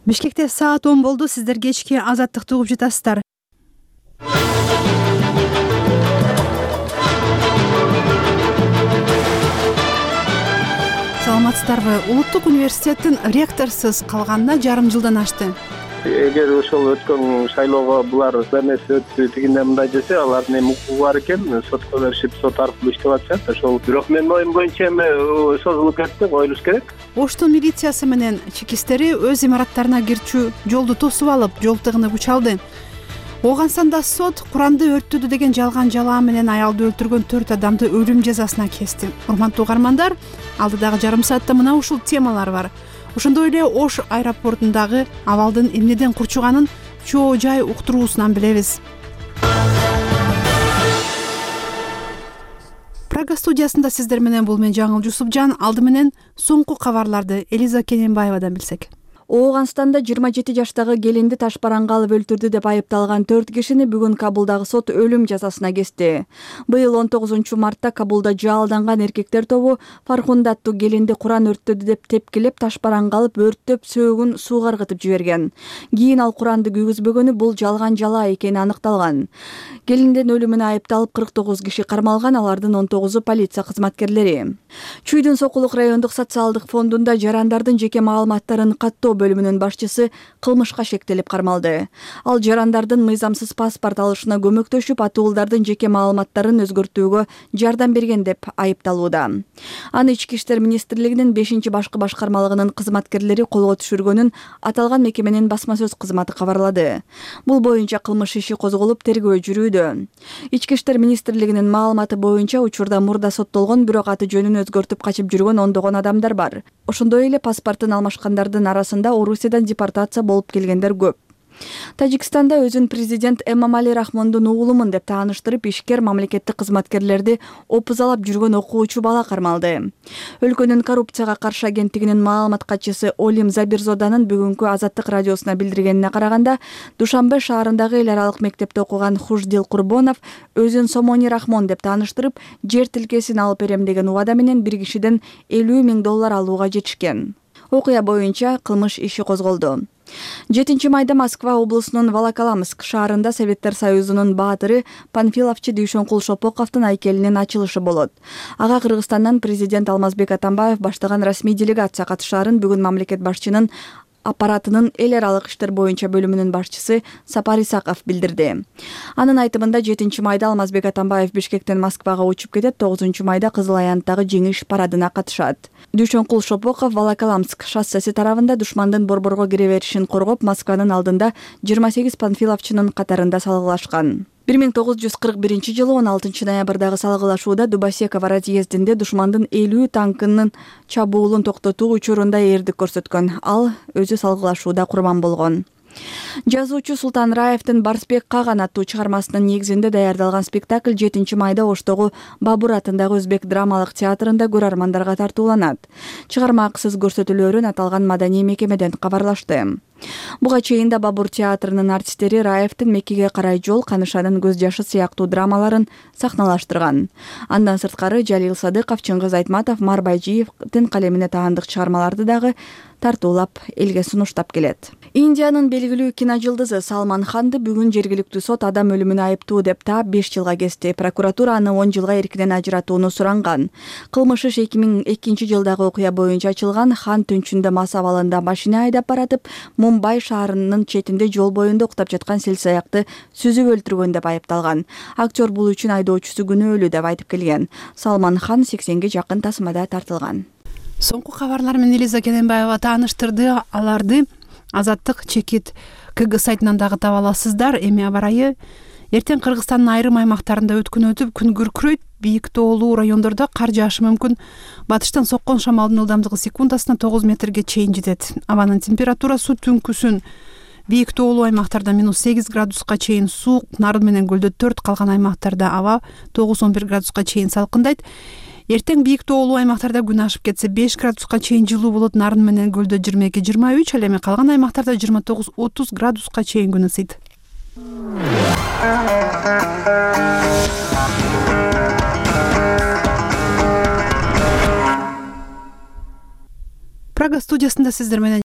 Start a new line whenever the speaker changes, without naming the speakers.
Бишкекте саат 10 болду. Сиздер кечки Азаттыкты угуп жатасыздар. Саламатсыздарбы? Улуттук университеттин ректорсуз калганына жарым жылдан ашты.
Эгер ошол өткөн шайлоого булар эмес өттү тигиндей мындай десе, алардын эми укугу бар экен, сотко беришип, сот аркылуу иштеп атышат. Ошол бирок менин оюм боюнча эми созулуп кетти, коюлуш керек.
Оштун милициясы менен чекистери өз имараттарына кирчү жолду тосуп алып, жол тыгыны кучалды. Ооганстанда сот Куранды өрттөдү деген жалган жалаа менен аялды өлтүргөн 4 адамды өлүм жазасына кести. Урматтуу угармандар, алдыдагы жарым саатта мына ушул темалар бар. Ошондой эле Ош аэропортундагы абалдын эмнеден курчуганын чоо жай уктуруусунан билебиз. Прага студиясында сиздер менен бул мен Жаңыл Жусупжан. Алды менен соңку кабарларды Элиза Кененбаевадан билсек.
Ооганстанда 27 жаштагы келинди ташбаранга алып өлтүрдү деп айыпталган 4 кишини бүгүн Кабулдагы сот өлүм жазасына кести. Быйыл 19-мартта Кабулда жаалданган эркектер тобу Фархунда аттуу келинди Куран өрттөдү деп тепкилеп, ташбаранга алып өрттөп, сөөгүн сууга ыргытып жиберген. Кийин ал Куранды күйгүзбөгөнү бул жалган жалаа экени аныкталган. Келиндин өлүмүнө айыпталып 49 киши кармалган, алардын 19-у полиция кызматкерлери. Чүйдүн Сокулук райондук социалдык фондунда жарандардын жеке маалыматтарын каттоо бөлүмүнүн башчысы кылмышка шектелип кармалды. Ал жарандардын мыйзамсыз паспорт алышына көмөктөшүп, атуулдардын жеке маалыматтарын өзгөртүүгө жардам берген деп айыпталууда. Аны Ички иштер министрлигинин 5-башкы башкармалыгынын кызматкерлери колго түшүргөнүн аталган мекеменин басма сөз кызматы кабарлады. Бул боюнча кылмыш иши козголуп, тергөө жүрүүдө. Ички иштер министрлигинин маалыматы боюнча учурда мурда соттолгон, бирок аты жөнүн өзгөртүп качып жүргөн ондогон адамдар бар. Ошондой эле паспортун алмашкандардын арасында Орусиядан депортация болуп келгендер көп. Тажикстанда өзүн президент Эмомали Рахмондун уулумун деп тааныштырып, ишкер мамлекеттик кызматкерлерди опузалап жүргөн окуучу бала кармалды. Өлкөнүн коррупцияга каршы агенттигинин маалымат катчысы Олим Забирзоданын бүгүнкү Азаттык радиосуна билдиргенине караганда, Душанбе шаарындагы эл аралык мектепте окуган Хуждил Курбонов өзүн Сомони Рахмон деп тааныштырып, жер тилкесин алып берем деген убада менен бир кишиден $50,000 алууга жетишкен. Окуя боюнча кылмыш иши козголду. 7 майда Москва облусунун Волоколамск шаарында Советтер Союзунун баатыры Панфиловчу Дүйшөнкул Шопоковдун айкелинин ачылышы болот. Ага Кыргызстандан президент Алмазбек Атамбаев баштаган расмий делегация катышаарын бүгүн мамлекет башчынын аппаратынын эл аралык иштер боюнча бөлүмүнүн башчысы Сапар Исаков билдирди. Анын айтымында 7 майда Алмазбек Атамбаев Бишкектен Москвага учуп кетет, 9 майда Кызыл Аянттагы жеңиш парадына катышат. Дүйшөнкул Шопоков Волоколамск шоссеси тарабында душмандын борборго кире беришин коргоп, Москванын алдында 28 панфиловчунун катарында салгылашкан. 1941 жылы 16 ноябрдагы салгылашууда Дубосеково разъездинде душмандын 50 танкынын чабуулун токтотуу учурунда эрдик көрсөткөн. Ал өзү салгылашууда курман болгон. Жазуучу Султан Раевдин Барсбек Каган аттуу чыгармасынын негизинде даярдалган спектакль 7 майда Оштогу Бабур атындагы Өзбек драмалык театрында көрөрмандарга тартууланат. Чыгарма акысыз көрсөтүлөөрүн аталган маданий мекемеден кабарлашты. Буга чейин да Бабур театрынын артисттери Раевдин Меккеге карай жол, Канышанын көз жашы сыяктуу драмаларын сахналаштырган. Андан сырткары Жалил Садыков, Чыңгыз Айтматов, Мар Байжиевдин калемине таандык чыгармаларды дагы тартуулап элге сунуштап келет. Индиянын белгилүү киножулдузу Салман Ханды бүгүн жергиликтүү сот адам өлүмүнө айыптуу деп таап 5 жылга кести. Прокуратура аны 10 жылга эркинен ажыратууну суранган. Кылмыш иш 2002 жылдагы окуя боюнча ачылган. Хан түнчүндө мас абалында машина айдап баратып, Мумбай шаарынын четинде жол боюнда уктап жаткан селсаякты сүзүп өлтүргөн деп айыпталган. Актер бул үчүн айдоочусу күнөөлүү деп айтып келген. Салман Хан 80ге жакын тасмада тартылган.
Соңку кабарлар менен Элиза Кененбаева тааныштырды. Аларды Азаттык чекит КГ сайтынан дагы таба аласыздар. Эми аба ырайы эртең Кыргызстандын айрым аймактарында өткөн күн күркүрөйт. Бийик тоолуу райондордо кар жаашы мүмкүн. Батыштан соккон шамалдын ылдамдыгы секундасына 9 метрге чейин жетет. Абанын температурасы түнкүсүн бийик тоолуу аймактарда -8 градуска чейин суук, Нарын менен Көлдө 4, калган аймактарда аба 9-11 градуска чейин салкындайт. Эртең бийик тоолуу аймактарда күн ашып кетсе 5 градуска чейин жылуу болот. Нарын менен Көлдө 22-23, ал эми калган аймактарда 29-30 градуска чейин күн ысыйт. Прага студиясында сиздер менен